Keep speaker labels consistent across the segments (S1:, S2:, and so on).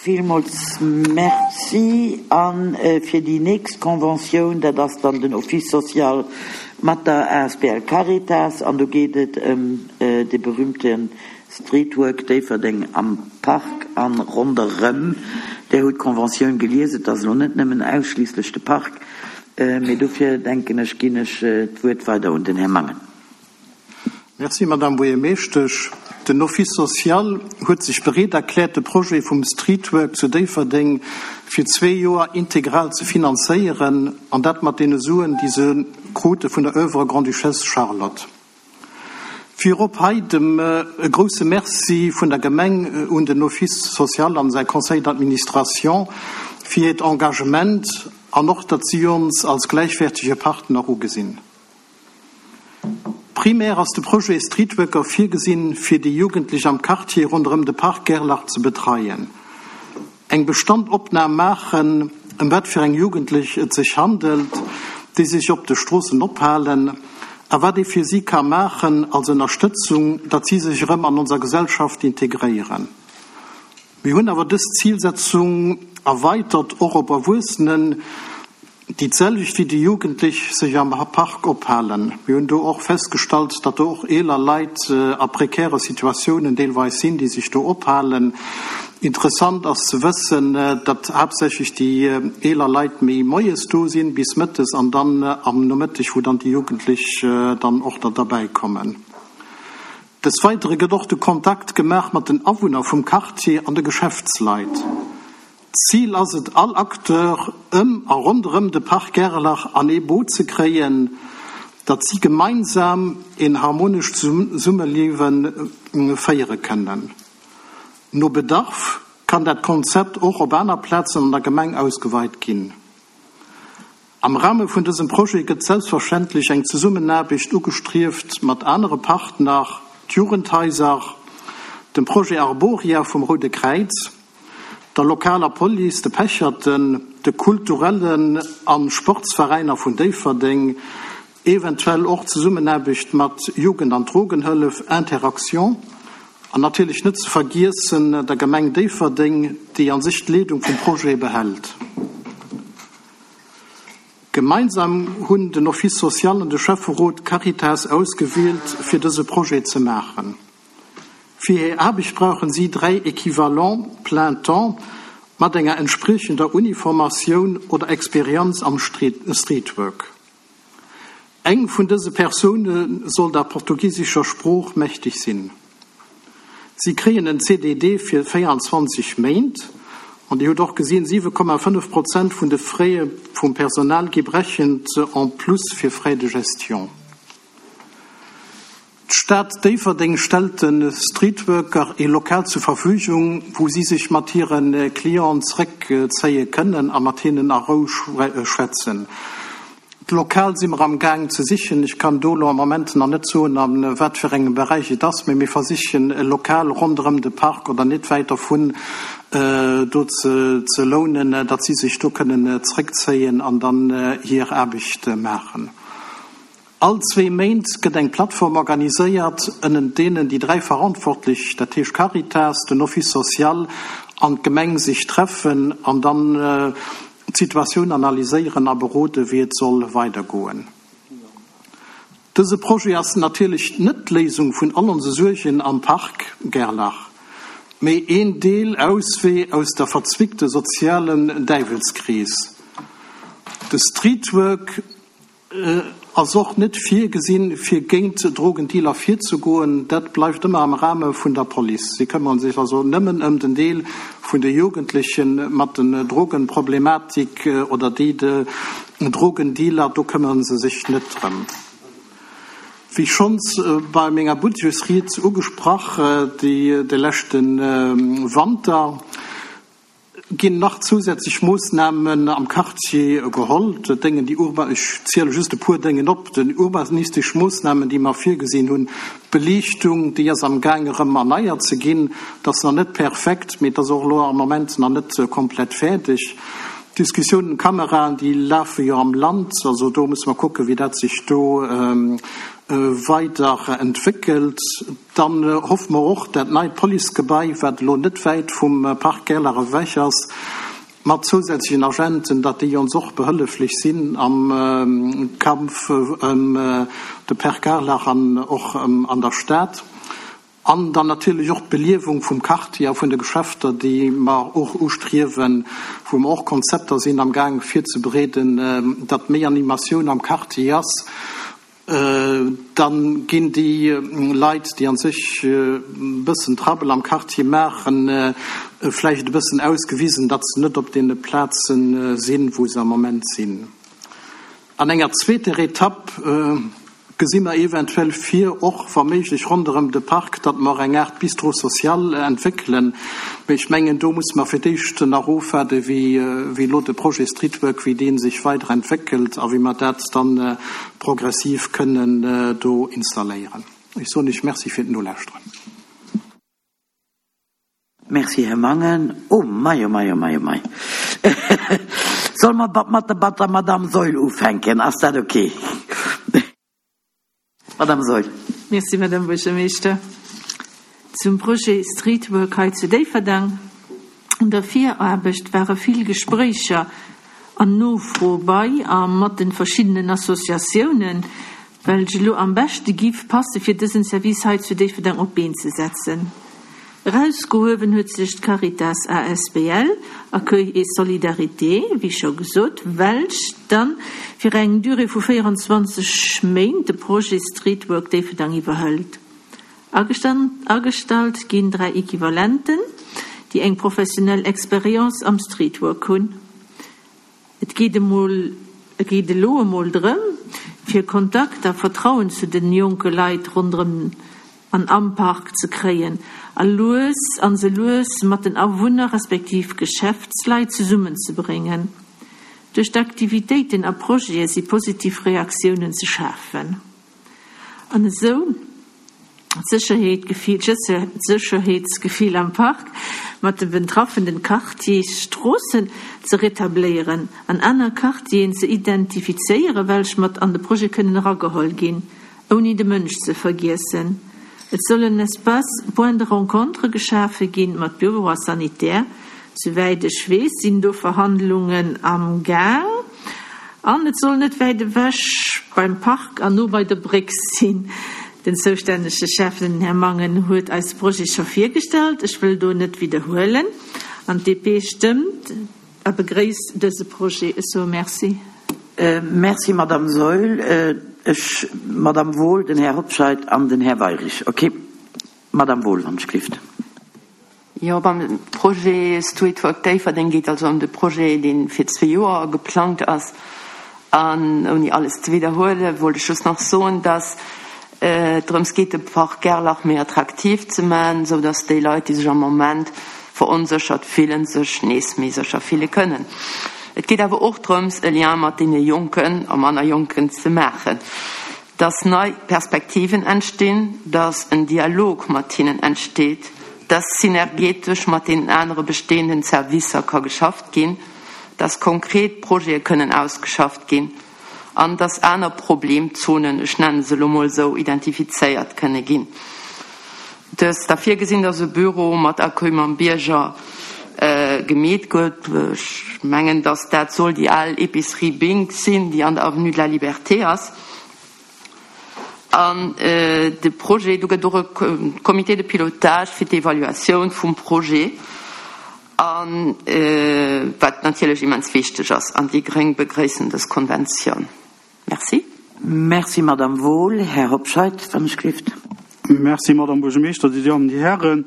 S1: Villmools Merci. A fir déi nächst Conventioun, dat ass dann den Office social mat der asbl Caritas, an do geet et ëm dee berühmte Streetwork Déifferdeng am Park a ronderëm. Där hutt d'Conventioun gelies. Et ass elo net nëmmen ausschliisslech de Park, mee dofir, denken ech, ginn ech d'Wuert weider un den Här Mangen.
S2: Merci, Madame Buergermeeschtesch. Den Office social huet sech bereet erkläert, de Projet vum Streetwork zu Déifferdeng fir zwee Joer integral ze finanzéieren, an dat mat deene Suen, déi se krute vun der Oeuvre Grande-Duchesse Charlotte. Virop hei dem e grouse Merci vun der Gemeng un den Office social an säi Conseil d'administration fir hiert Engagement an och, datt si ons als gläichwäertege Partner ugesinn. Primär ass de Projet Streetworker virgesinn, fir déi Jugendlech am Quartier ronderëm de Park Gerlach ze betreien. Eng Bestandopnam maachen, ëm wat fir eng Jugendlech et sech handelt, déi sech op de Stroossen ophalen, a wat ee fir si ka maachen als Ënnerstëtzung, datt si sech erëm an onser Gesellschaft integréieren. Mir hunn awer dës Zilsetzung erweitert och op Erwuessenen, déi d'selwecht wéi déi Jugendlech sech am Park ophalen. Mir hunn do och festgestallt, datt do och eeler Leit a prekäre Situatiounen deelweis sinn, déi sech do ophalen. Interessant ass ze wëssen, datt haaptsächlech déi eeler Leit méi moies do sinn, bis mëttes, an dann am Nomëtteg, wou dann déi Jugendlech dann och der derbäikommen. Des Weidere gëtt och de Kontakt gemaach mat den Awunner vum Quartier an de Geschäftsleit. D'Zil ass et, all Acteur ëm a ronderëm de Parc Gerlach an ee Boot ze kréien, datt si gemeinsam een harmonescht Zesummeliewe féiere kënnen. No Bedarf kann dat Konzept och op aner Plazen an der Gemeng ausgeweit ginn. Am Rahme vun dësem Projet gëtt selbstverständlech eng Zesummenaarbecht ugestrieft mat anere Partner, d'Jugendhaiser, dem Projet Arboria vum Roude Kräiz, der lokaler Police, de Pecherten, de kulturellen a Sportsveräiner vun Déifferdeng, eventuell och Zesummenaarbecht mat Jugend an Drogenhëllef, Interaction, an natierlech net ze vergiessen der Gemeng Déifferdeng, déi a sech d'Leedung vum Projet behält. Gemeinsam hunn den Office social an de Schäfferot d'Caritas ausgewielt, fir dëse Projet ze maachen. Fir hir Aarbecht brauchen si 3 Equivalents plein temps mat enger entspriechender Uniformatioun oder Experienz am Streetwork. Eng vun dëse Persoune soll der portugisescher Sprooch mächteg sinn. Si kréien en CDD fir 24 Méint. An Dir hutt och gesinn, 7,5 Prozent vun de Frais vum Personal gi berechent en plus fir Frais de gestion. D'Stad Déifferdeng stellt de Streetworker ee Lokal zur Verfügung, wou si sech mat hire Clienten zeréckzéie kënnen a mat hinnen a Rou schwätzen. D'Lokal si mer am Gaang ze sichen. Ech kann do elo am Moment nach net soen, a wat fir engem Beräich et ass, mee mir versichen e Lokal ronderëm de Park oder net wäit dervun do ze lounen, datt si sech do kënnen zeréckzéien an dann hir Aarbecht maachen. All zwee Méint gëtt eng Plattform organiséiert, ënnent deenen déi 3 Verantwortlech, dat heescht Caritas, den Office social an d'Gemeng sech treffen an dann d'Situatioun analyséieren a berode wéi et soll weidergoen. Dëse Projet ass natierlech net d'Léisung vun all onse Suergen am Park Gerlach, mee een Deel Auswee aus der verzwickte sozialen Däiwelskrees. De Streetwork Ass och net virgesinn, fir géint Drogendealer virzegoen. Dat bleift ëmmer am Rahme vun der Police. Si këmmere sech also nëmmen ëm den Deel vun de Jugendleche mat den Drogenproblematik oder déi de Drogendealer, do këmmere se sech net drëm. Wéi schonns bei menger Budgetsried ugesprach, déi de leschte Wanter, Ginn nach zousätzlech Moossnamen am Quartier geholl? Dat déngen déi urba, ech ziele just e puer Déngen op, déi urbanistesch Moossnamen, déi mer virgesinn hunn, d'Beliichtung, déi ass am Gaang erëm erneiert ze ginn, dat ass nach net perfekt, mee et ass och elo am Moment nach net komplett fäerdeg. D'Diskussioun ëm Kameraen, déi lafe jo am Land. Also do musse mer kucken, wéi dat sech do weider entwéckelt. Dann hoffe mer och, dat neit Policegebai, wat elo net wäit vum Parc Gerlach ewech ass, mat zousätzlechen Agenten, datt déi ons och behëlleflech sinn am Kampf ëm de Parc Gerlach an och an der Stad. An dann natierlech och d'Beliewung vum Quartier a vun de Geschäfter, déi mer och ustriewen, wou mer och Konzepter sinn am Gaang virzebereeden, datt méi Animatioun am Quartier ass. Dann ginn déi Leit, déi an sech e bëssen Trouble am Quartier maachen, vläicht e bëssen ausgewisen, datt se net op deene Plaze sinn, wou se am Moment sinn. An enger zweeter Etapp gesi mer eventuell vir, och wa méiglech ronderëm de Park, datt mer eng Aart Bistrot social entwéckelen. Mee ech mengen, do musse mer fir d'éischt nach ofwaarden, wéi elo de Projet Streetwork, wéi dee sech weider entwéckelt a wéi mer dat dann progressiv kënnen do installéieren. Ech soen Iech Merci fir d'Nolauschteren.
S1: Merci, Här Mangen. Oh mei, oh mei, oh mei, oh mei. Solle mer mat der Madame Saeul ufänken? Ass dat okay? Madame Saeul.
S3: Merci, Madame Buergermeeschter. Zum Projet Streetwork hei zu Déifferdeng. An der Viraarbecht ware vill Gespréicher an Nofro bei a mat de verschiddenen Associatiounen, welch elo am beschte giff passe fir dësen Service hei zu Déifferdeng op d'Been ze setzen. Erausgehuewen huet sech d'Caritas asbl Accueil et Solidarité, wéi scho gesot, welch dann fir eng Durée vu 24 Méint de Projet Streetwork Déifferdeng iwwerhëlt. Agestallt ginn 3 Equivalenten, déi eng professionell Expérience am Streetwork hunn. Et geet emol, et geet elo emol drëm, fir Kontakt a Vertrauen zu den jonke Leit ronderëm an am Park ze kréien a lues an se lues mat den Awunner respektiv Geschäftsleit zesummenzebréngen. Duerch d'Aktivitéiten a Projete si positiv Reaktiounen ze schafen an esou d'Sécherheetsgefill am Park mat de betraffenen Quartiersstroossen ze retabléieren an aner Quartieren ze identifizéieren, welch mat an de Projet kënnen erageholl ginn, ouni de Mënsch ze vergiessen. Et soll en Espace point de rencontre geschafe ginn mat Büro a Sanitär. Souwäit ech weess, sinn do Verhandlungen am Gaang. An et soll net wäit ewech beim Park an no bei der Bréck sinn. Den zoustännege Schäffen, den Här Mangen, huet eis de Projet scho virgestallt. Ech wëll do net widderhuelen. An d'DP stëmmt a begréisst dëse Projet. Ech soe Merci.
S1: Merci, Madame Saeul. Ech, d'Madame Wohl, den Här Hobscheit an den Här Weirich. Okay. Madame Wohl, wann ech gelift.
S4: Jo, beim Projet Streetwork Déifferdeng geet also ëm de Projet, dee fir zwee Joer geplangt ass. An ouni alles ze widderhuelen, wollt ech just nach soen, dass et drëms geet, de Park Gerlach méi attraktiv ze maachen, esou dass déi Leit, déi sech am Moment veronséchert fillen, sech nees méi sécher fille kënnen. Et geet awer och drëms, e Lien mat deene Jonken a manner Jonken ze maachen. dass nei Perspektiven entstinn, dass en Dialog mat hinnen entsteet, dass synergetesch mat deenen anere bestehenden Servicer ka geschafft ginn, dass konkret Projete kënnen ausgeschafft ginn an dass aner Problemzonen, ech nenne se elo mol esou, identifizéiert kënne ginn. Et ass da virgesinn, dass e Büro mat Accueil mam Bierger gemeet gëtt. Ech mengen, dass dat soll déi al Épicerie Bink sinn, déi an der Avenue de la Liberté ass. An de Projet, do gëtt och e Comité de pilotage fir d'Evaluatioun vum Projet, a wat natierlech immens wichteg ass. An déi Gréng begréissen dës Konventioun.
S1: Merci. Merci, Madame Wohl. Här Hobscheit, wann ech gelift.
S5: Merci, Madame Buergermeeschter, Dir Dammen, Dir Hären.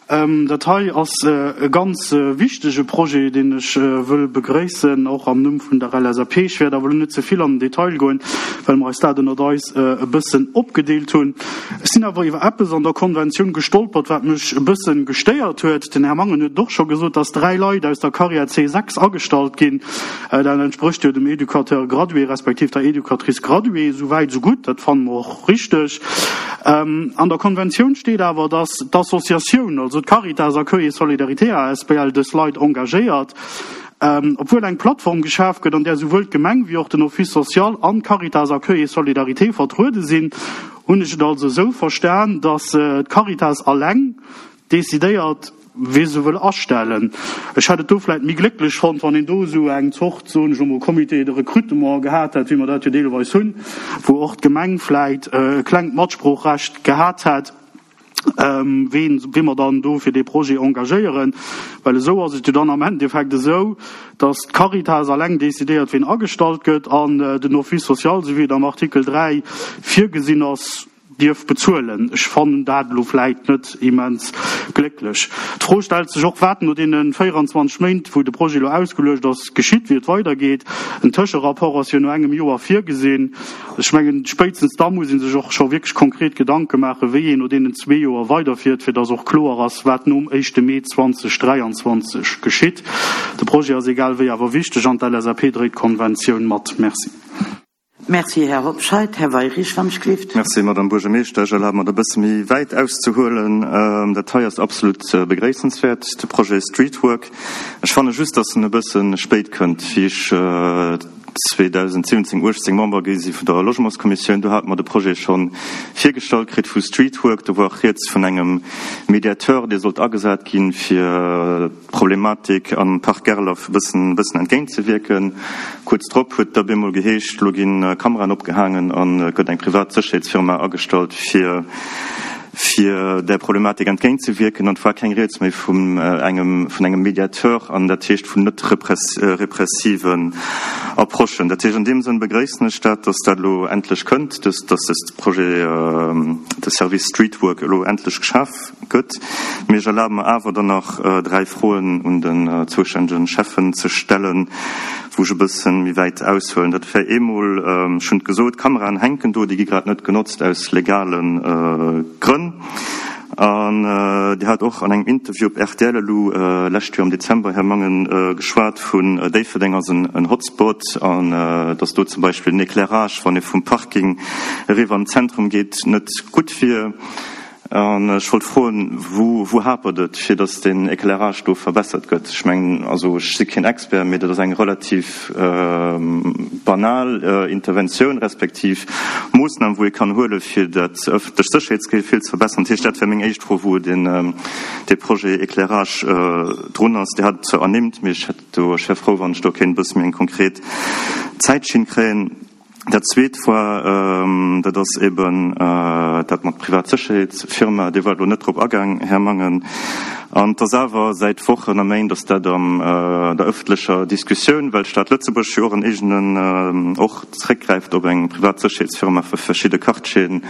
S5: Dat hei ass e ganz wichtege Projet, deen ech wëll begréissen, och am Numm vun der LSAP. Ech wäert awer elo net ze vill an den Detail goen, well mer eis dat ënnert eis e bëssen opgedeelt hunn. Ech sinn awer iwwer eppes an der Konventioun gestolpert, wat mech e bësse gestéiert huet. Den Här Mangen huet et och scho gesot, dass dräi Leit aus der Carrière C6 agestallt ginn. Dat entsprécht jo dem Éducateur gradué respektiv der Éducatrice graduée. Esou wäit, esou gutt. Dat fanne mer och richteg. An der Konventioun steet awer, dass d'Associatioun, also d'Caritas Accueil et Solidarité asbl, dës Leit engagéiert. Obwuel eng Plattform geschaf gëtt, an där souwuel d'Gemeng wéi och den Office social an d'Caritas Accueil et Solidarité vertruede sinn, hunn ech et also esou verstan, datt d'Caritas alleng decidéiert, wee se wëll astellen. Ech hätt et do vläit méi glécklech fonnt, wann een do esou eng Zort, soen ech elo mol, Comité de recrutement gehat hätt, wéi mer dat jo deelweis hunn, wou och d'Gemeng vläit e klengt Matsproochrecht gehat hätt. ween wee mer dann do fir dee Projet engagéieren, well esou ass et jo dann am Endeffekt esou, datt d'Caritas alleng decidéiert, ween agestallt gëtt, an den Office social, esou wéi et am Artikel 3 virgesinn ass, dierf bezuelen. Ech fannen dat elo vläit net immens glécklech. D'Fro stellt sech och, wat no deene 24 Méint, wou de Projet elo ausgeluecht ass, geschitt, wéi et weidergeet. En Tëscherapport ass jo no engem Joer virgesinn. Ech mengen, spéitstens da muss ee sech och scho wierklech konkret Gedanke maachen, wéi een no deenen zwee Joer weiderfiert, fir dass och kloer ass, wat nom éischte Mee 2023 geschitt. De Projet ass egal wéi awer wichteg an d'LSAP dréit d'Konventioun mat. Merci.
S1: Merci, Här Hobscheit. Här Weyrich, wann ech gelift.
S6: Merci, Madame Buergermeeschtesch. Ech erlabe mer, et e bësse méi wäit auszehuelen. Dat hei ass absolut begréissenswäert, de Projet Streetwork. Ech fanne just, dass en e bësse spéit kënnt. Wéi ech 2017, 18 Member gi si vun der Logementskommissioun. Do hate mer de Projet scho virgestallt kritt vu Streetwork. Do war och rieds vun engem Mediateur, dee sollt agesat ginn, fir d'Problematik am Parc Gerlach e bëssen, bëssen entgéintzewierken. Kuerz drop huet et da bemol geheescht, elo gi Kameraen opgehaangen an et gëtt eng privat Sécherheetsfirma agestallt, fir fir där Problematik entgéintzewierken, an et war keng Rieds méi vun engem, vun engem Mediateur, an dat heescht vun net repressiven Approchen. Dat heescht, an deem Sënn begréissen ech dat, dass dat elo endlech kënnt, dass, dass dës Projet, de Service Streetwork elo endlech geschaf gëtt. Mee ech erlabe mer awer dann nach dräi Froen un den zoustännegen Schäffen ze stellen, wou ech e bësse méi wäit aushuelen. Dat wär eemol, ech hunn et gesot, d'Kameraen hänken do, déi gi grad net genotzt aus legale Grënn. An Dir hat och an engem Interview op rtl elo lescht Joer am Dezember, Här Mangen, geschwat vun Déifferdeng ass en Hotspot an datt do zum Beispill den Éclairage, wann ee vum Parking eriwwer an d'Zentrum geet, net gutt wier. An ech wollt froen, wou, wou hapert et, fir datt deen Éclairage do verbessert gëtt? Ech mengen, also ech si keen Expert, mee dat ass eng relativ banal Interventioun respektiv Moossnam, wou ee kann huelen, fir dat ëffentlecht Sécherheetsgefill ze verbessern. Dat heescht, dat wär meng éischt Fro, wou deen, dee Projet Éclairage drun ass. Dir hat et zwar ernimmt, mee ech hätt do, ech wär frou, wann ech do kéint e bësse méi eng konkret Zäitschinn kréien. Dat Zweet war, dat ass eben dat mat Privatsécherheetsfirma. Dir waart elo net drop agaang, Här Mangen. An et ass awer säit Wochen a Méint ass dat an der ëffentlecher Diskussioun, well d'Stad Lëtzebuerg jo och en eegenen, och zréckgräift op eng Privatsécherheetsfirma fir verschidde Quartieren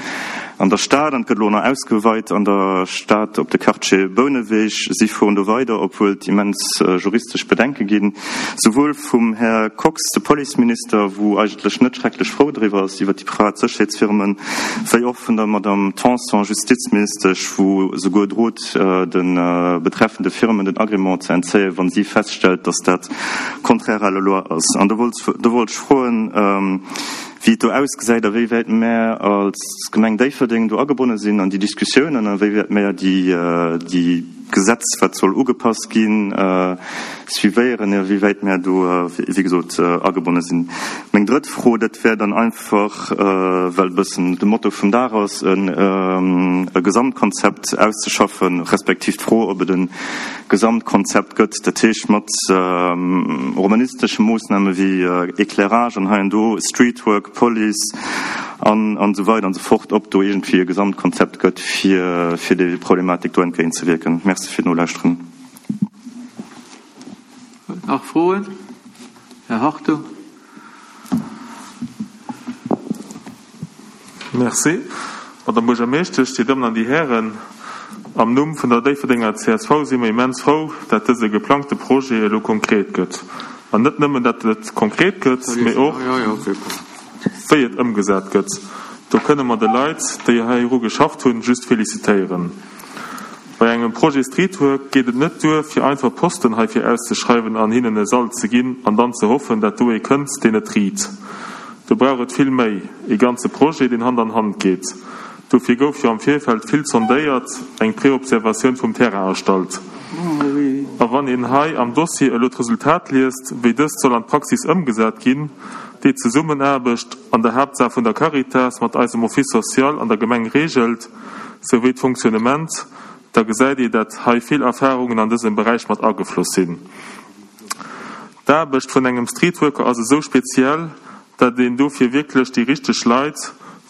S6: an der Stad. An et gëtt elo nach ausgeweit an der Stad op de Quartier Bouneweg. Si fueren do weider, obwuel et immens juristesch Bedenke ginn, souwuel vum Här Kox, de Policeminister, wou eigentlech net schrecklech frou driwwer ass, iwwer déi privat Sécherheetsfirmen, wéi och vun der Madame Tanson, Justizministesch, wou souguer drot, de betreffende Firmen den Agrément ze entzéien, wa si feststellt, dass dat contraire à la loi ass. An do wollt, do wollt ech froen, wéi et do ausgesäit a wéi wäit mär als Gemeng Déifferdeng do agebonne sinn an déi Diskussiounen a wéi wäit mär déi, déi Gesetz, wat soll ugepasst ginn, suivéieren, a wéi wäit mär do, wéi gesot, agebonne sinn. Meng drëtt Fro, dat wär dann einfach, well e bëssen de Motto vum Dag ass, e Gesamtkonzept auszeschaffen, respektiv d'Fro, ob et e Gesamtkonzept gëtt, dat heescht mat urbanistesche Moossname wéi Éclairage an hei an do, Streetwork, Police an esou weider an esou fort, ob do iergendwéi e Gesamtkonzept gëtt, fir fir déi Problematik do entgéintzewierken. Merci fir d'Nolauschteren.
S7: Nach Froen? Här Hartung.
S8: Merci. Madame Buergermeeschtesch, Dir Dammen an Dir Hären, am Numm vun der Déifferdenger csv si mer immens frou, dat dëse geplangte Projet elo konkret gëtt. An net nëmmen, dat et konkret gëtt, mee och, wéi et ëmgesat gëtt. Do kënne mer de Leit, déi heiru geschafft hunn, just felicitéieren. Bei engem Projet Streetwork geet et net duer, fir einfach Posten heifir auszeschreiwen an hinnen e Sall ze ginn an dann ze hoffen, dat do ee kënnt, deen et riit. Do brauch et vill méi, ee ganze Projet, deen Hand an Hand geet. Dofir gouf jo am Virfeld vill sondéiert, eng Preobservatioun vum Terrain erstallt. A wann een hei am Dossier elo d'Resultat liest, wéi dëst soll an d'Praxis ëmgesat ginn, déi Zesummenaarbecht an der Haaptsaach vun der Caritas mat eisem Office social an der Gemeng regelt, souwéi d'Fonctionnement, da gesäit ee, dat hei vill Erfahrungen an dësem Beräich mat agefloss sinn. D'Aarbecht vun engem Streetworker ass esou speziell, dat een dofir wierklech déi richteg Leit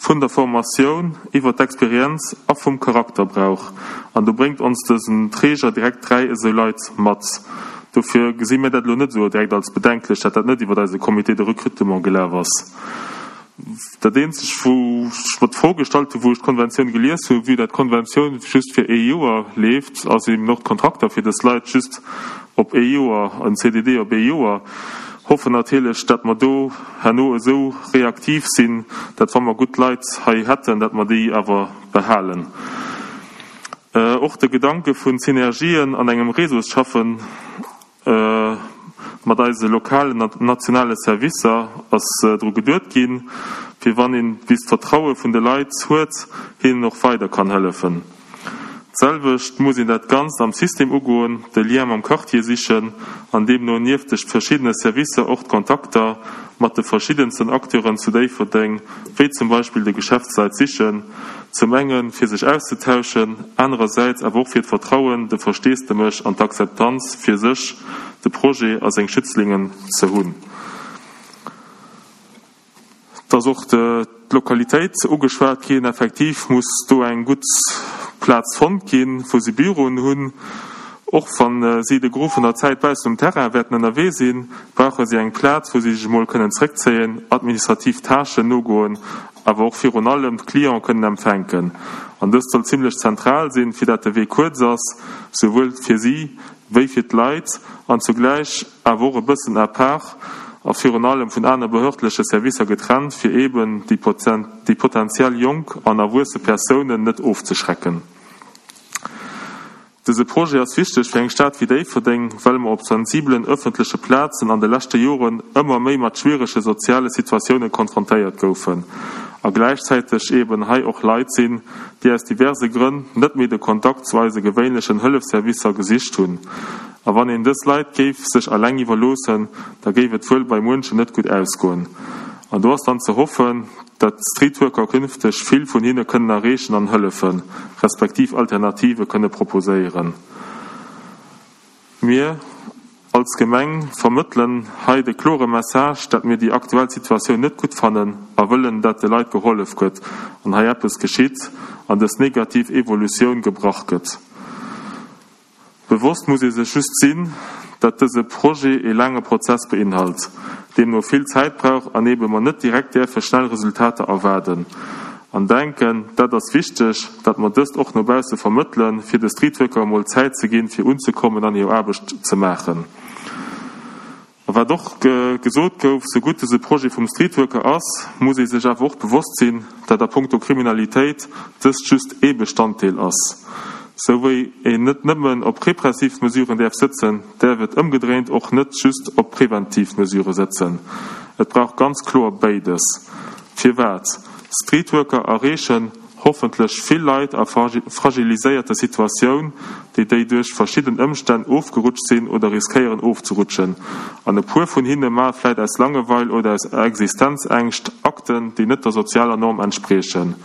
S8: vun der Formatioun iwwer d'Experienz a vum Charakter brauch. An do bréngt ons dësen Träger direkt 3 esou Leit mat. Dofir gesi mir dat elo net esou direkt als bedenklech, dat dat net iwwer eise Comité de recrutement gelaf ass. Dat eenzegt, wou ech mer d'Fro gestallt hu wou ech d'Konventioun gelies hu, vue dat d'Konventioun just fir ee Joer leeft, ass eben och d'Kontrakter fir dës Leit just op ee Joer, en CDD op ee Joer. Hoffen natierlech, dat mer do herno esou reaktiv sinn, dat wa mer gutt Leit hei hätten, dat mer déi awer behalen. Och de Gedanke vun Synergien an engem Réseau schaffen, Mat eise lokalen an nationale Servicer ass dru geduet ginn, fir wann een bis d'Vertraue vun de Leit huet, hinnen och weider kann hëllefen. D'selwecht muss een dat Ganzt am System ugoen, de Lien mam Quartier sichen an deemno nieft de verschiddene Servicer och d'Kontakter mat de verschiddensten Acteuren zu Déifferdeng, wéi zum Beispill de Geschäftsleit sichen, zum enge fir sech auszetauschen, anerersäits awer och fir d'Vertrauen, de Versteesdemech an d'Akzeptanz fir sech, de Projet a seng Schützlingen ze hunn. Et ass och d'Lokalitéit ugeschwat ginn. Effektiv muss do eng gutt Plaz fonnt ginn, wou se Büroen hunn. Och wa si de Gros vun der Zäit baussent um Terrain wäerten ënnerwee sinn, brauche si eng Plaz, wou si sech emol kënnen zréckzéien, administrativ Tâchen nogoen, awer och virun allem d'Cliente kënnen empfänken. An dëst soll zimlech zentral sinn, fir dat de Wee kuerz ass, souwuel fir si wéi fir d'Leit, an zugläich awer och e bëssen à part a virun allem vun aner behördleche Servicer getrennt, fir eeben déi potentiell jonk an erwuesse Persounen net ofzeschrecken. Dëse Projet ass wichteg fir eng Stad wéi Déifferdeng, well mer op sensibelen ëffentleche Plazen an de leschte Joren ëmmer méi mat schwierege soziale Situatioune konfrontéiert goufen a gläichzäiteg eeben hei och Leit sinn, déi aus diverse Grënn net méi de Kontakt zu eise gewéinlechen Hëllefsservicer gesicht hunn. A wann een dës Leit géif sech eleng iwwerloossen, da géif et wuel bei muenchen net gutt ausgoen. An do ass dann ze hoffen, dat d'Streetworker künfteg vill vun hinne kënnen erreechen an hëllefen, respektiv Alternative kënne proposéieren. Mir als Gemeng vermëttelen hei de klore Message, dat mir déi aktuell Situatioun net gutt fannen a wëllen, dat de Leit gehollef gëtt an hei eppes geschitt an dës negativ Evolutioun gebrach gëtt. Bewosst muss ee sech just sinn, dat dëse Projet ee laange Prozess beinhalt, deemno vill Zäit brauch an eebe mer net direkt däerfe schnell Resultater erwaarden an denken. Dat ass wichteg, dat mer dëst och no bausse vermëttelen, fir de Streetworker emol Zäit ze ginn, fir unzekommen an hir Aarbecht ze maachen. A wat och gesot gouf, Sou gutt dëse Projet vum Streetworker ass, muss ee sech awer och bewosst sinn, dat a punkto Kriminalitéit dëst just ee Bestanddeel ass. Sou wéi een net nëmmen op repressiv Mesuren däerf sëtzen, däerf et ëmgedréint och net just op preventiv Mesurë sëtzen. Et brauch ganz kloer béides. Firwat? Streetworker erreechen hoffentlech vill Leit a fragiliséierte Situatioun, déi déi duerch verschidden Ëmstänn ofgerutscht sinn oder riskéieren ofzerutschen. An e puer vun hinne maache vläit aus Langeweil oder aus Existenzängscht Akten, déi net der sozialer Norm entspriechen.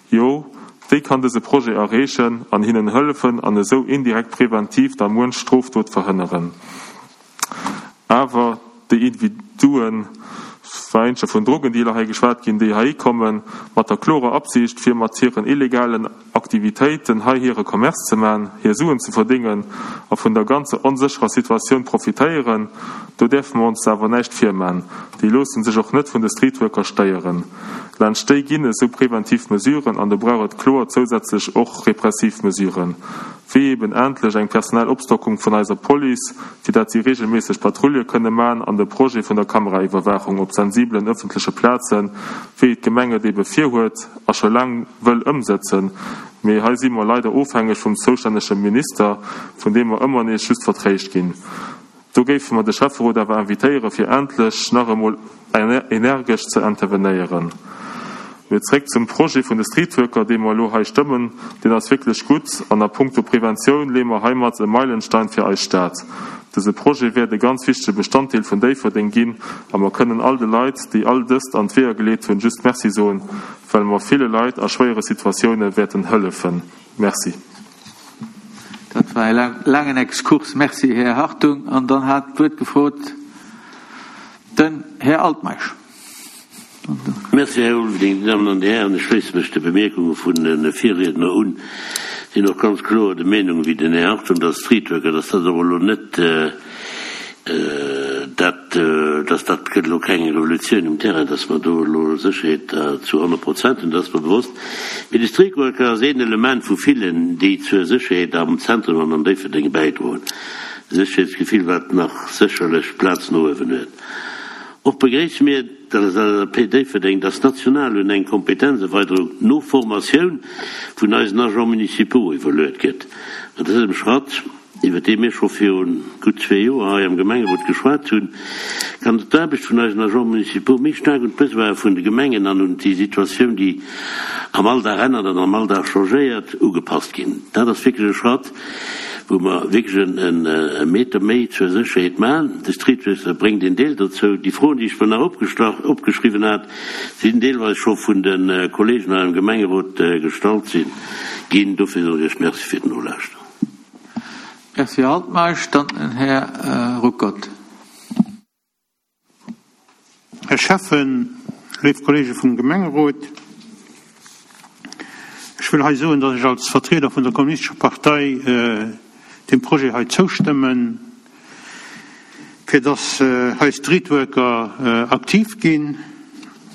S8: Jo, déi kann dëse Projet erreechen an hinnen hëllefen an esou indirekt preventiv da muench Strofdot verhënneren. Awer déi Individuen, et war éinescher vun Drogendealer hei geschwat ginn, déi heihi kommen, mat der klorer Absicht, fir mat hiren illegalen Aktivitéiten hei hire Commerce ze man, hir Suen ze verdéngen a vun der ganzer onsécherer Situatioun profitéieren, do däerfe mer ons awer näischt virman, déi loosse sech och net vun de Streetworker stéieren. Laanscht déi ginn esou preventiv Mesuren an do brauch et kloer zousätzlech och repressiv Mesuren. wéi eben endlech eng personell Opstockung vun eiser Police, fir dat si regelméisseg Patrouille kënne man an de Projet vun der Kameraiwwerwaachung op sensibelen ëffentleche Plazen, wéi et d'Gemeng et ebe virhuet a scho laang wëll ëmsëtzen. Mee hei si mer leider ofhängeg vum zoustännege Minister, vun deem mer ëmmer nees just vertréischt ginn. Do géife mer de Schäfferot awer invitéiere fir endlech nach emol energesch ze intervenéieren. Mee zréck zum Projet vun de Streetworker, dee mer elo hei stëmmen, deen ass wierklech gutt an a puncto Preventioun leeë mer heimat e Meilenstein fir eis Stad. Dëse Projet wäert e ganz wichtege Bestanddeel vun Déifferdeng ginn a mer kënnen all de Leit, déi all dëst an d'Weeër geleet hunn, just Merci soen, well mer ville Leit a schwéiere Situatioune wäerten hëllefen. Merci.
S7: Dat war e laangen Exkurs. Merci, Här Hartung. An dann hat d'Wuert gefrot den Här Altmeisch.
S9: Merci, Här Ulveling. Dir Dammen an Dir Hären, ech schléisse mech de Bemierkunge vun de Virriedner un. Sinn och ganz kloer der Meenung wéi den Här Hartung, dass Streetworker, dass dat och elo net dat, dass dat gëtt elo keng Revolutioun um Terrain, dass mer do elo Sécherheet zu 100 Prozent hunn, dat ass mer bewosst. Mee de Streetworker ass een Element vu villen, déi zur Sécherheet am Zentrum an an Déifferdeng bäidroen. E Sécherheetsgefill, wat nach sécherlech Plaz no uewen huet. Och begréisse mir, der LSAP Déifferdeng, dass national un eng Kompetenzerweiderung no Formatioun vun eisen Agents municipaux iwwerluet gëtt. Mat dësem Schratt, iwwer dee mir scho virun gutt zwee Joer hei am Gemengerot geschwat hunn, kann d'Aarbecht vun eisen Agents municipaux méi staark un d'Besoine vun de Gemengen an un déi Situatioun, déi am Alldag ännert an am Alldag changéiert, ugepasst ginn. Dat ass wierklech e Schratt, wou mer wierklech e Meter méi zur Sécherheet maachen. De Streetworker bréngt een Deel dozou. Déi Froen, déi ech mer nach opgeschriwwen hat, sinn deelweis scho vun de Kollegen hei am Gemengerot gestallt sinn ginn. Dofir soen ech Iech Merci fir d'Nolauschteren.
S7: Merci, Här Altmeisch. Dann den Här Ruckert.
S10: Här Schäffen, léif Kollege vum Gemengerot, ech wëll hei soen, datt ech als Vertrieder vun der Kommunistescher Partei deem Projet hei zoustëmmen, fir datt hei Streetworker aktiv ginn.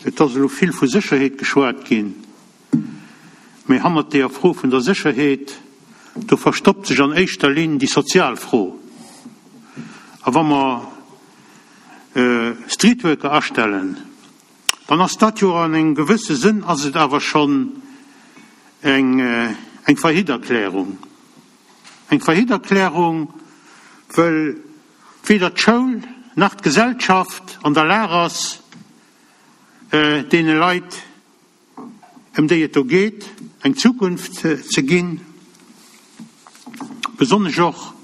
S10: Et ass elo vill vu Sécherheet geschwat ginn, mee hannert deeër Fro vun der Sécherheet, do verstoppt sech an éischter Linn déi sozial Fro. A wa mer Streetworker astellen, dann ass dat jo an engem gewësse Sënn ass et awer schonn eng eng Faillite-Erklärung. Eng Faillite-Erklärung, wëll weder d'Schoul nach d'Gesellschaft an der Lag ass, deene Leit, ëm déi et do geet, eng Zukunft ze ginn, besonnesch och,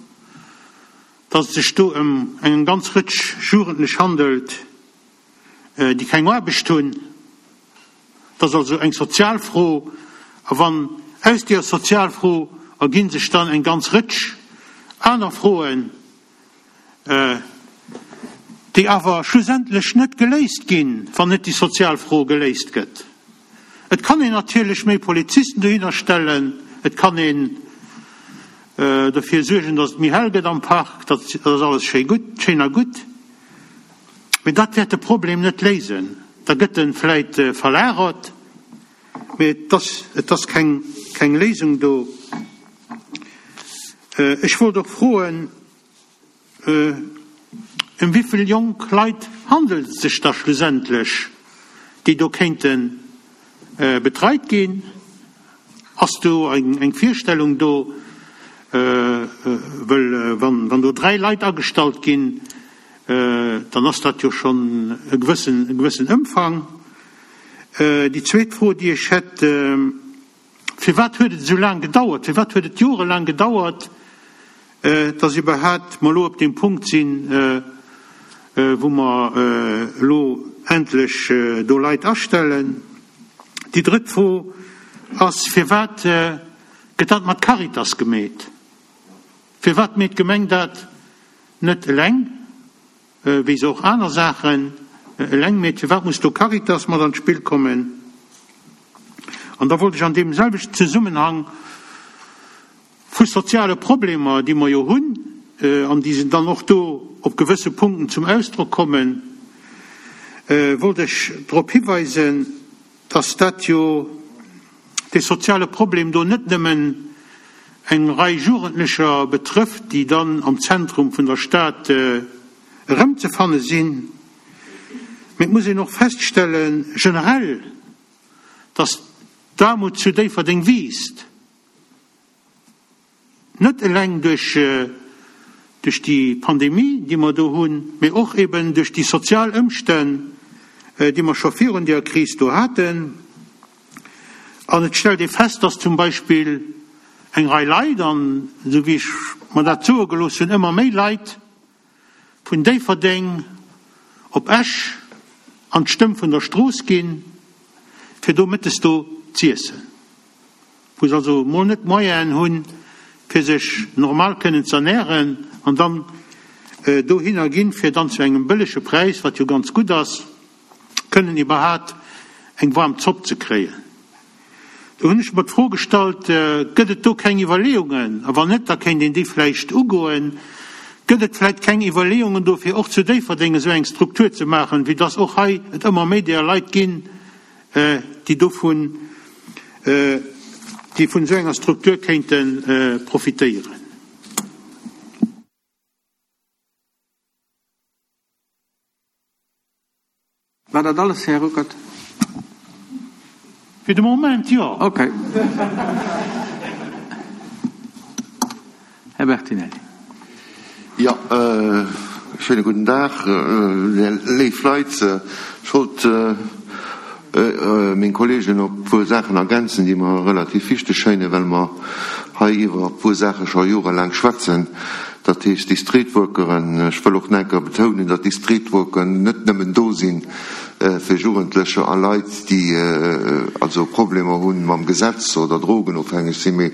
S10: dass et sech do ëm eng ganz Rëtsch Jugendlech handelt, déi keng Aarbecht hunn. Et ass also eng sozial Fro. A wann aus deeër Sozialfro erginn sech dann eng ganz Rëtsch aner Froen, déi awer schlussendlech net geléist ginn, wann net déi sozial Fro geléist gëtt. Et kann een natierlech méi Polizisten dohinner stellen, et kann een dofir suergen, datt et méi hell gëtt am Park, dat ass alles schéi gutt, schéin a gutt, mee dat wäert de Problem net léisen. Da gëtt e vläit verlagert, mee et ass, et ass keng, keng Léisung do. Ech wollt och froen, Ëm wéi vill jonk Leit handelt et sech da schlussendlech, déi do kéinte betreit ginn? Ass do eng Virstellung do? Wëll wann do 3 Leit agestallt ginn, dann ass dat jo schonn e gewëssen Ëmfang. Déi zweet Fro, déi ech hätt, Firwat huet et esou laang gedauert, firwat huet et jorelaang gedauert, dass iwwerhaapt mer elo op deem Punkt sinn, wou mer elo endlech do Leit astellen? Déi drëtt Fro ass, Firwat gëtt dat mat Caritas gemeet? Firwat meet d'Gemeng dat net eleng? Wéi se och aner Saachen eleng meet. Firwat muss do Caritas mat an d'Spill kommen? An da wollt ech an deem selwechten Zesummenhang vu soziale Problemer, déi mer jo hunn an déi dann och do op gewësse Punkten zum Ausdrock kommen, wollt ech drop hiweisen, dass dat jo dee soziale Problem do net nëmmen eng Rei Jugendlecher betrëfft, déi dann am Zentrum vun der Stad erëmzefanne sinn, mee et muss een och feststellen, generell, dass d'Aarmut zu Déifferdeng wiisst. Net eleng duerch duerch déi Pandemie, déi mer do hunn, mee och eben duerch déi sozial Ëmstänn, déi mer scho virun deeër Kris do haten. An et stellt ee fest, dass zum Beispill eng Rei Leit, an esou wéi ech mer dat soe gelooss hunn, ëmmer méi Leit vun Déifferdeng op Esch an d'Stëmm vun der Strooss ginn, fir do mëttes do z'iessen, wou se also mol net d'Moyenen hunn, fir sech normal kënnen z'ernären, an dann dohinner ginn, fir dann zu engem bëllege Präis, wat jo ganz gutt ass, kënnen iwwerhaat eng waarm Zopp ze kréien. Do hunn ech mer d'Fro gestallt, Gëtt et do keng Iwwerleeungen, a wann net, da kéint een déi vläicht ugoen, gëtt et vläicht keng Iwwerleeungen do, fir och zu Déifferdeng esou eng Struktur ze maachen, vue dass och hei et ëmmer méi deeër Leit ginn, déi dovun, déi vun esou enger Struktur kéinte profitéieren?
S7: War dat alles, Här Ruckert?
S10: Fir de Moment, jo.
S7: Okay. Här Bertinelli.
S11: Jo, schéine gudden Dag, léif Leit. Ech wollt meng Kolleegen op e puer Saachen ergänzen, déi mer relativ wichteg schéinen, well mer hei iwwer e puer Saache scho jorelaang schwätzen. Dat heescht, déi Streetworkeren, ech wëll och nach eng Kéier betounen, datt déi Streetworkeren net nëmmen do si fir Jugendlecher a Leit, déi also Problemer hu mam Gesetz oder drogenofhängeg sinn, mee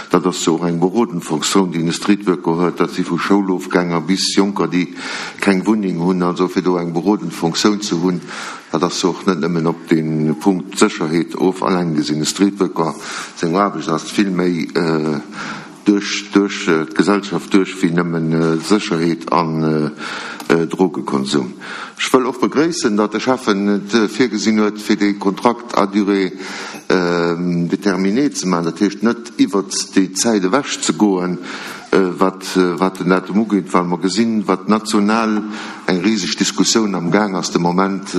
S11: dat ass jo och eng berodend Fonctioun, déi e Streetworker huet. Dat si vu Schoulofgänger bis Jonker, déi keng Wunneng hunn. Also fir do eng berodend Fonctioun ze hunn, dat ass jo och net nëmmen op de Punkt Sécherheet of alleng gesinn. E Streetworker seng Aarbecht ass vill méi duerch duerch d'Gesellschaft duerch wéi nëmmen Sécherheet an Drogekonsum. Ech wëll och begréissen, datt de Schäffen et virgesinn huet, fir dee Kontrakt à durée déterminée ze maachen, dat heescht net iwwert déi Zäit ewech ze goen, wat wat den Datum ugeet, well mer gesinn, wat national eng riseg Diskussioun am Gaang ass de Moment,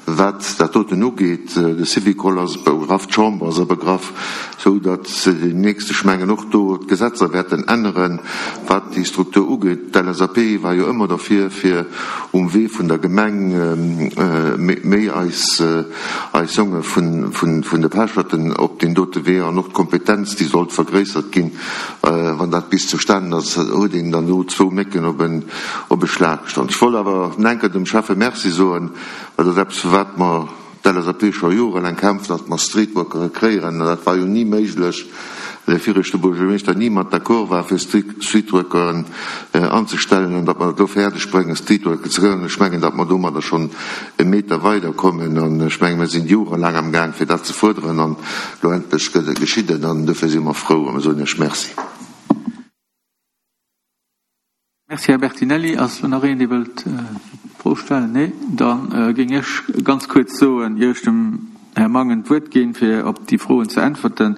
S11: Wat dat doten ugeet, de Syvicol ass begraff, d'Chamber ass abegraff, esou datt deemnächst, ech mengen, och do d'Gesetzer wäerten änneren, wat déi Struktur ugeet. D'LSAP war jo ëmmer derfir, fir um Wee vun der Gemeng méi eis eis Jonge vun de Pecherten op deen dote Wee an och d'Kompetenz, déi sollt vergréissert ginn, wann dat bis zustanen ass, huet een dann do zwou Mécken op e Schlag gestallt. Ech wollt awer enker dem Schäffe Merci soen, Dat ass eppes, fir wat mer, d'LSAP, scho jorelaang kämpfen, datt mer Streetworkere kréieren. An dat war jo ni méiglech, well de viregte Buergermeeschter ni mat d'accord war, fir Streetworkeren anzestellen. An datt mer dat elo fäerdeg bréngen, Streetworker ze kréien, ech mengen, datt mer domadder schonn e Meter weiderkommen. An ech mengen, mir sinn jorelaang amgaang, fir dat ze fuerderen. An elo endlech gëtt et geschitt et. An dofir si mer frou a mer soen Iech Merci.
S7: Merci, Här Bertinelli. Ass elo nach een, dee wëllt Fro stellen? Nee? Da géing ech ganz kuerz soen, ier ech dem Här Mangen d'Wuert ginn, fir op déi Froen ze äntwerten.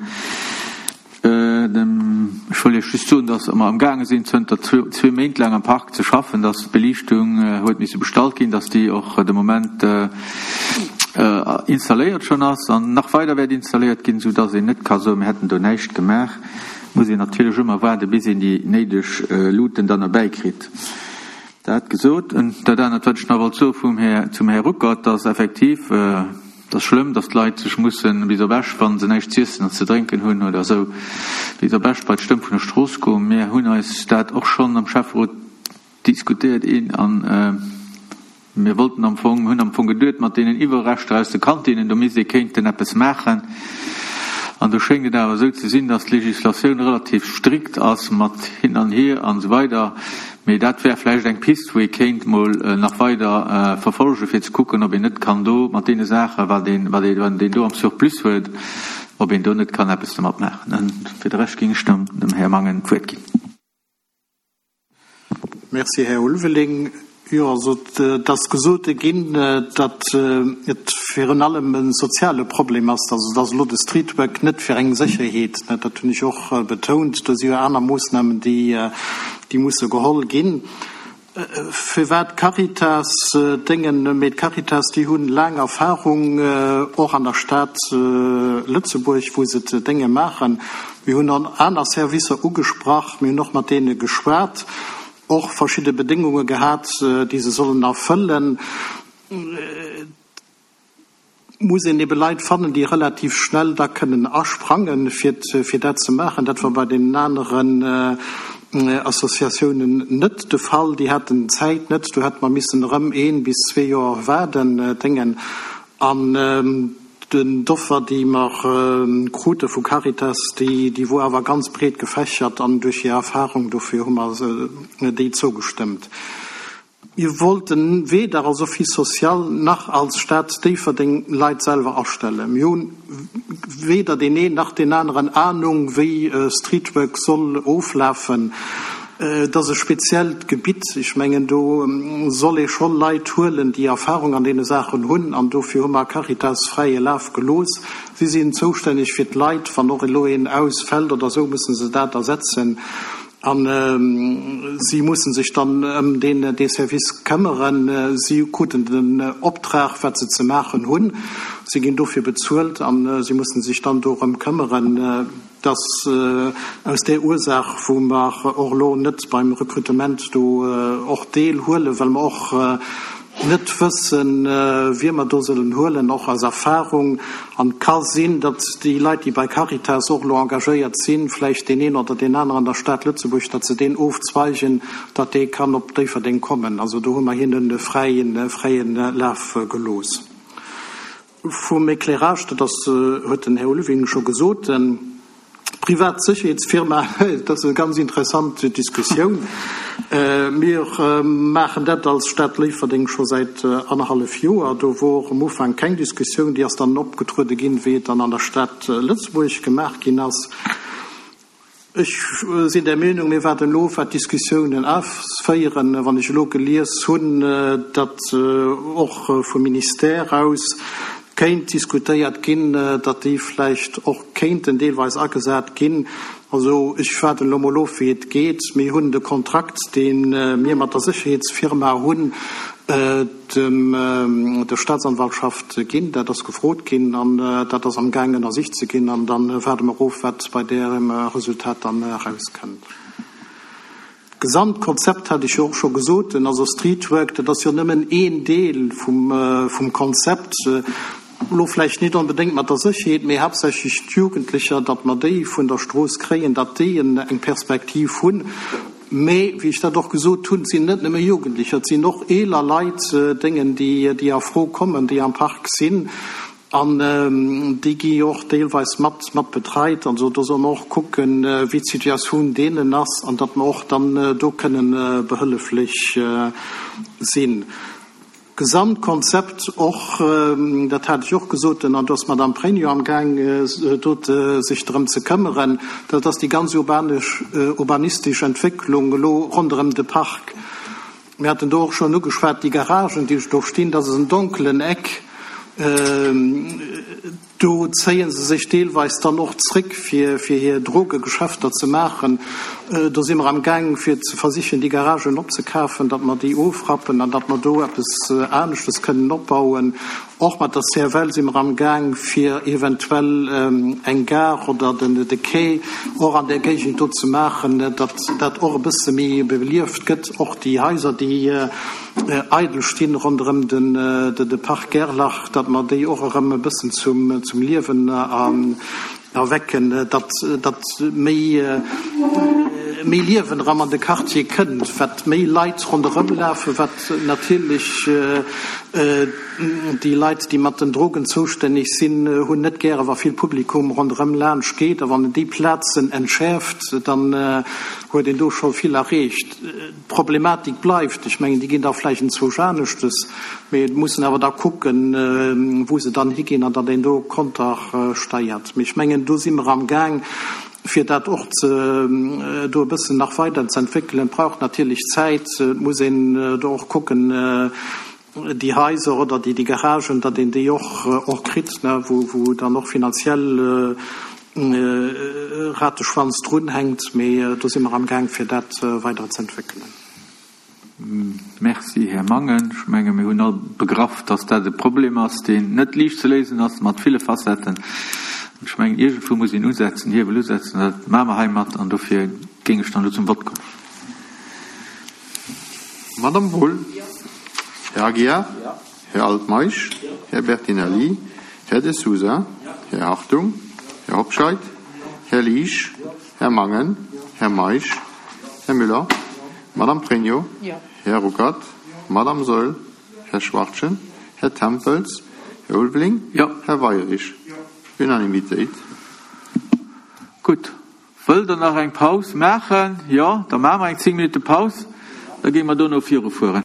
S7: Ech wëll Iech just soen, dass mer amgaange sinn, zënter zwee Méint laang am Park ze schaffen, dass d'Beliichtung huet misse bestallt ginn, dass déi och de Moment installéiert schonn ass an nach weider wäert installéiert ginn, soudass een net ka soen, mir hätten do näischt gemaach. Muss een natierlech ëmmer waarde bis een déi néideg Luuten dann erbäi kritt. Dat gesot, en dat anert wat ech nach wollt soe vum Här, zum Här Ruckert, dass effektiv, et ass schlëmm, dass d'Leit sech mussen bis op Esch, wa se näischt z'iessen an ze drénken hunn oder esou, bis op Esch bei d'Stëmm vun der Strooss goen. Mir hunn eis dat och schonn am Schäfferot diskutéiert een an mir wollten am Fong, hunn am Fong geduet, mat deenen Iwwerreschter aus de Kantinnen, do misst ee kéinten eppes maachen. An do schéngt et awer esou ze sinn, datt d'Législatioun relativ strikt ass mat hin an hier an esou weider. Mee dat wär vläicht eng Pist, wou ee kéint mol nach weider verfolgen, fir ze kucken, ob een net kann do mat deene Saachen, wat een, wat een do am Surplus huet, ob een do net kann eppes domat maachen. Fir de Rescht géing ech dann dem Här Mangen d'Wuert ginn.
S2: Merci, Här Ulveling. Jo, also et ass gesot ginn, datt et virun allem e soziale Problem ass, also datt elo de Streetwork net fir eng Sécherheet, dat hunn ech och betount, do si jo aner Moossnamen, déi musse geholl ginn. Firwat d'Caritas déngen? Mee d'Caritas, déi hunn laang Erfahrung och an der Stad Lëtzebuerg, wou se d'Dénge maachen. Mir hunn och aner Servicer ugesprach, mir hunn och mat deene geschwat, och verschidde Bedéngunge gehat, déi se sollen erfëllen. muss een ebe Leit fannen, déi relativ schnell da kënnen asprangen, fir fir dat ze maachen. Dat war bei deenen aneren Associatiounen net de Fall. Déi haten d'Zäit net. Do hätte mer missen erëm ee bis zwee Joer waarden, Déngen. An den d'Offer, déi mer krute vu Caritas, déi déi wor awer ganz breet gefächert an duerch hir Erfahrung, dofir hu mer déi zougestëmmt. Mir wollten weder als Office social nach als Stad Déifferdeng Leit selwer astellen. Mir hunn weder deen een nach deen aneren Ahnung, wéi Streetwork soll oflafen. Et ass e speziellt Gebitt. Ech mengen, do soll ee scho Leit huelen, déi Erfahrung an deene Saachen hunn. An dofir hu mer Caritas fräie Laf gelooss. Si sinn zoustänneg fir d'Leit. Wann och elo een ausfält oder esou, musse se dat ersetzen. A si musse sech dann ëm deen, dee Service këmmeren. Si kruten den Optrag, wat se ze maachen hunn. Si ginn dofir bezuelt a si musse sech dann dorëm këmmeren. Et ass aus där Ursaach, wou mer och elo net beim Rekrutement do och deelhuelen, well mer och net wëssen, wie mer do sollen huelen, och aus Erfahrung. An et ka sinn, datt déi Leit, déi bei Caritas och elo engagéiert sinn, vläicht deen een oder deen aneren an der Stad Lëtzebuerg, datt se deen ofzweigen, datt dee kann op Déifferdeng kommen. Also do hu mer hinnen e fräie Laf gelooss. Vum Éclairage, dat ass, huet den Här Ulveling scho gesot, privat Sécherheetsfirma, dat ass e ganz interessant Diskussioun. Mir maachen dat als Stad Léifferdeng scho säit annerhallef Joer. Do wor um Ufank keng Diskussioun, déi ass dann opgetruede ginn, wéi et dann an der Stad Lëtzebuerg gemaach ginn ass. Ech sinn der Meenung, mir waarden elo of, wat d'Diskussiounen ausféieren. Wann ech elo gelies hunn, datt och vum Ministère aus kéint diskutéiert ginn, datt déi vläicht och kéinten deelweis agesat ginn. Also ech waarden elo mol of, wéi et geet. Mir hunn de Kontrakt, dee mir mat der Sécherheetsfirma hunn, dem der Staatsanwaltschaft ginn. Dat ass gefrot ginn an dat ass amgaang ënnersicht ze ginn an da waarde mer of, wat bei därem Resultat dann erauskënnt. D'Gesamtkonzept hat ech jo och scho gesot, also Streetwork, dat ass jo nëmmen een Deel vum Konzept, elo vläicht net onbedéngt mat der Sécherheet, mee haaptsächlech d'Jugendlecher, datt mer déi vun der Strooss kréien, datt déi eng Perspektiv hunn. Mee, wéi ech dat och gesot hunn, et sinn net nëmme Jugendlecher, et sinn och eeler Leit, Déngen, déi a Fro kommen, déi am Park sinn. An déi gi jo och deelweis mat mat betreit. Also do solle mer och kucken, wéi d'Situatioun deenen ass an datt mer och dann do kënnen behëlleflech sinn. Gesamtkonzept och, dat hat ech och gesot, an do ass d'Madame Pregno amgaang do sech drëm ze këmmeren, dat ass déi ganz urbanesch, urbanistesch Entwécklung elo ronderëm de Park. Mir haten do och schonn ugeschwat, déi Garagen, déi do stinn, dat ass en donkelen Eck. Do zéie se sech deelweis dann och zréck, fir hir Drogegeschäfter ze maachen. Do si mer amgaang, fir ze versichen, déi Garagen opzekafen, datt mer déi ofrappen an datt mer do eppes aneschtes kënnen opbauen. Och mat der CFL si mer amgaang, fir eventuell eng Gare oder de Quai och an där Géigend do ze maachen, datt dat och e bësse méi belieft gëtt, och déi Haiser, déi eidel stinn ronderëm de Parc Gerlach, datt mer déi och erëm e bëssen zum Liewen erwecken, datt datt méi méi Liewen erëm an de Quartier kënnt, wat méi Leit ronderëm lafen, wat natierlech déi Leit, déi mat den Drogen zoustänneg sinn, hunn net gäre wa vill Publikum ronderëm laanscht geet. A wann een déi Plazen entschäerft, dann huet een do scho vill erreecht. D'Problematik bleift. Ech mengen, déi ginn da vläicht enzwousch aneschtes, mee et muss en awer da kucken, wou se dann higinn an datt een do kontersteiert. Mee ech mengen, do si mer amgaang, fir dat och ze do e bëssen nach weider ze entwéckelen. Et brauch natierlech Zäit. Et muss een do och kucken, déi Haiser oder déi Garagen, datt een déi och och kritt, ne, wou wou dann och finanziell Rateschwanz drunhänkt. Mee do si mer amgaang, fir dat weider ze entwéckelen.
S7: Merci, Här Mangen. Ech menge mir hunn all begraff, datt dat e Problem ass, deen net liicht ze léisen ass, mat ville Facetten. Ech mengen, iergendwou muss een usetzen, Hiewel usetzen. Dat maache mer heimat an dofir géing ech dann elo zum Vott kommen.
S11: Madame Wohl? Här Aguiar? Här Altmeisch? Här Bertinelli?
S12: Här De Sousa, Här Hartung, Här Hobscheit, Här Liesch, Här Mangen, Här Meisch, Här Müller, Madame Pregno, Här Ruckert, Madame Saeul, Här Schwachtgen, Här Tempels, Här Ulveling, Här Weirich. Unanimitéit.
S7: Gutt. Wëllt Der nach eng Paus maachen? Jo, da maache mer eng 10 Minutte Paus, da géinge mer dono virufueren.